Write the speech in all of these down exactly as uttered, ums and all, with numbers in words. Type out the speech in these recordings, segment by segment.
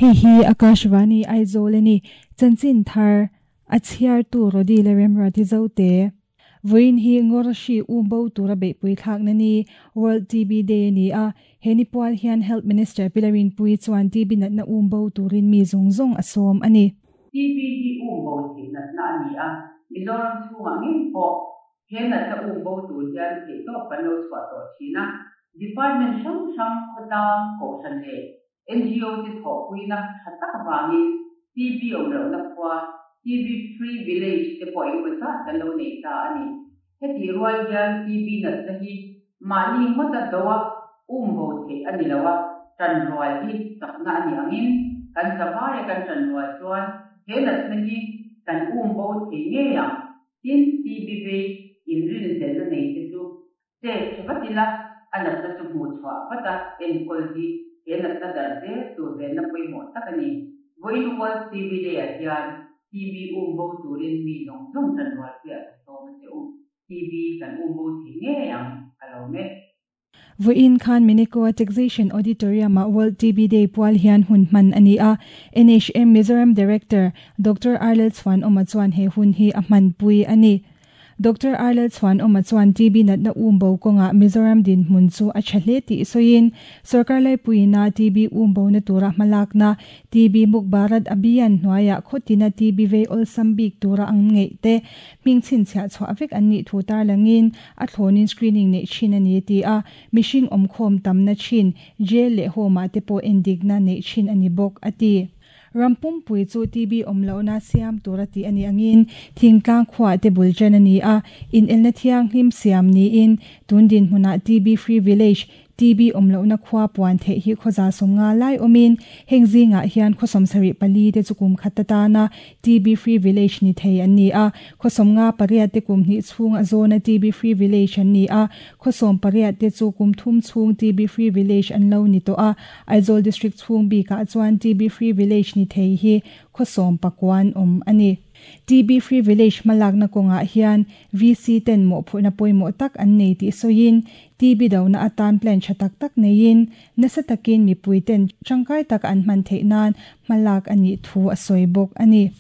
Hei hi Akashvani Aizawl ani chanchin thar a chhiar tu Rodi le Remruati Zote. Vawiin hi Ngawrashi umbo tura beihpui thlak na ni World T B Day ani a heni pual hian Health Minister Pilarin Pui chuan T B natna umbo turin mi zawng zawng a sawm ani. T B hi umbo thei natna ani a Mizoram chhungah ngei pawh he natna umbo tur hian theih tawp kan lo chhuah tawh thin a Department hrang hrang khawtlang kohhran leh N G O te thawhpuina tha tak avangin T B awm lohna khua T B Free Village te pawh engemaw zat kan lo nei ta ani. Heti rual hian T B natna hi mahni ngawta doa umbo theih ani lo a tan rual hi chakna ani angin kan zavaia kan tan rual chuan he natna hi kan umbo thei ngei ang tin T B vei inrin hlelna nei te chu test vatila a natna chu hmuh chhuah vata enkawl hi he natna dar zel tur venna pawimawh tak ani. Vawiin World T B Day ah hian T B umbo turin mi zawng zawng tan rual puiah ka sawm a che u. T B kan umbo thei ngei ang ka lo me. Vawiin khan Minikoa Taxation Auditorium ah World T B Day pual hian hun hman ani a. N H M Mizoram Director Doctor Arlel Chuan Oma chuan he hun hi a hman pui ani. Doctor Arlel Chuan Oma chuan T B natna umbo kawnga Mizoram din hmun chu a tha hle tih sawiin sarkar lai puina T B umbo na tura hmalakna T B Muk Bharat Abhiyan hnuaiah khawtina T B vei awlsam bik tura ang ngei te hming chhinchhiah chhuah vek an nih thu tar langin a thlawnin screening nei thin ani ti a mihring awmkhawm tamna thin jail leh home ah te pawh endikna nei thin ani bawk a ti. Rampum pui chu T B awm lohna siam tura ti ani angin thingtlang khuah te bul chen ani a in elna thiang hlim siam niin tundin hmunah T B Free Village T B awm lohna khua puan theih hi khawza sawmnga lai awmin heng zingah hian khawsawm sarih pali te chu kum khat atana T B Free Village ni thei an ni a khawsawmnga pariat te kum hnih chhung a zawna T B Free Village an ni a khawsawm pariat te chu kum thum chhung T B Free Village an lo ni tawh a Aizawl District chhung bikah chuan T B Free Village ni thei hi khawsawm pakuan awm ani. T B Free Village malakna kawnga hian V C ten mawh phurhna pawimawh tak an nei tih sawiin T B dona atan plan tha tak tak neiin nasa takin mipui ten tangkai tak an hman theih nan hmalak ani thu a sawi bawk ani.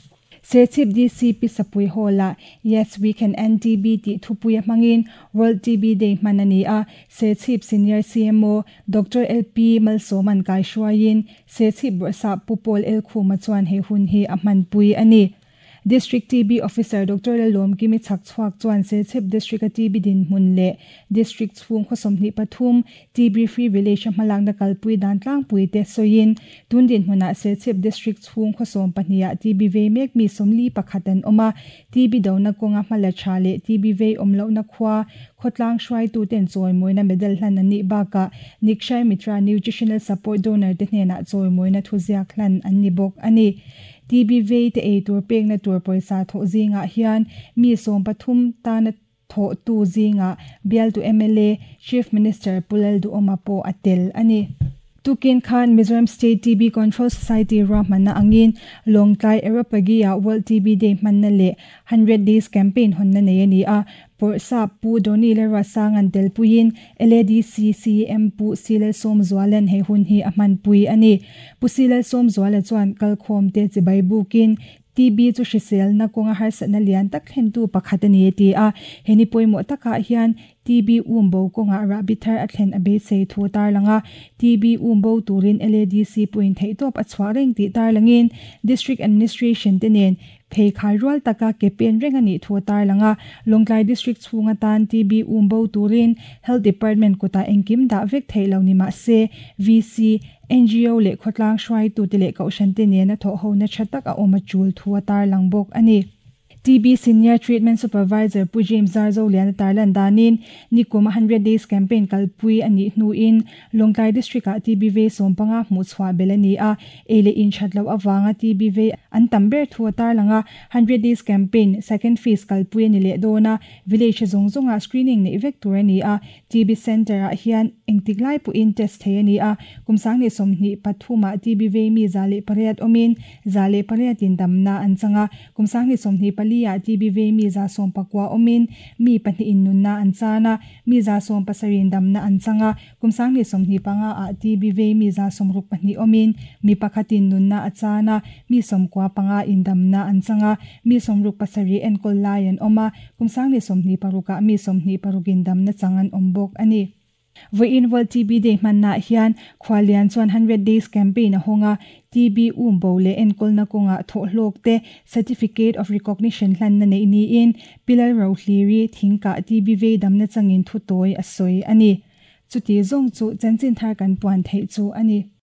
Serchhip D C P Sapui Hall-ah Yes We Can End T B tih thupui a hmangin World T B Day hman ani a Serchhip Senior C M O Doctor L P Malsawman kai hruaiin Serchhip Bawrhsap Pu Paul El Khuma chuan he hun hi a hman pui ani. District T B Officer Doctor Lalom Kimi Chak Chhuak chuan Serchhip District a T B din hmun leh District chhung khawsawmhnih pathum T B Free Village a hmalakna kalpui dan tlangpui te sawiin tundin hmunah Serchhip District chhung khawsawm pahnih T B vei mek mi sawmli pakhat an awm a T B dona kawnga hmala tha leh T B vei awm lohna khua khawtlang hruaitu ten chawimawina medal hlan an nih bakah Nikshay Mitra Nutritional Support Donor te hnenah chawimawina thuziak hlan an ni bawk ani. T B vei te ei tur pekna tur pawisa thawh zingah hian mi sawm pathum tana thawh tu zingah bial tu M L A Chief Minister Pulal Duhoma pawh a tel ani. Tukin khan Mizoram State T B Control Society ruahmanna angin Lawngtlai Areopagy-ah World T B Day hmanna leh hundred Days Campaign hawnna nei ani a Bawrhsap Pu Doni le Ruasang an tel puiin L A D C C M Pu Silal Sawmzualan he hun hi a hman pui ani. Pu Silal Sawmzuala chuan kalkhawm te chibai bukin T B chu hrisel na kawnga harsatna lian tak thlen tu pakhat ani ti a heni pawimawh takah hian T B umbo kawnga rahbi thar a thlen a beisei thu tar langa T B umbo turin L A D C puin theih tawp a chhuah reng tih tar langin District Administration te nen phei khai rual taka ke pen reng ani thu tar langa Lawngtlai District chhunga tan T B umbo turin Health Department kota engkim dah vek thei lo ni ma se V C N G O leh khawtlang hruai tu te leh kohhran te nena thawh ho na tha tak a awm a chul thu a tar lang bawk ani. T B Senior Treatment Supervisor Pu James Zarzo lian tarlan danin nikum hundred Days Campaign kalpui ani hnuin Lawngtlai District ah T B vei sawmpanga hmuh chhuah bel ani a eile in thatlo awanga T B vei an tam ber thu tar langa hundred Days Campaign second phase kalpui ani leh dawna village zawng zawnga screening nei vek tur ani a T B Center ah hian engtik lai pawhin test thei ani a kumsang ni sawmhnih pathuma T B vei mi za leh pariat awmin za leh pariat in damna an changa kumsang ni sawmhnih pali pali ah T B vei mi za sawm pakua awmin mi pahnih in nunna an chan a, mi za sawm pasarih in damna an chang a, kum sanghnih sawmhnih panga ah T B vei mi za sawmruk pahnih awmin mi pakhatin nunna a chan a, mi sawmkua panga in damna an chang a, mi sawmruk pasarih enkawl lai an awm a, kum sanghnih sawmhnih parukah mi sawmhnih parukin damna chang an awm bawk a ni. Vawiin World T B Day hmanah hian Khualian chuan hundred days campaign a hawng a, T B umbo leh enkawlna kawngah thawhhlawk te Certificate of Recognition hlanna neih niin Pilal Rohliri thingkah T B vei damna changin thu tawi a sawi a ni. Chuti zawng chu chanchin thar kan puan theih chu a ni.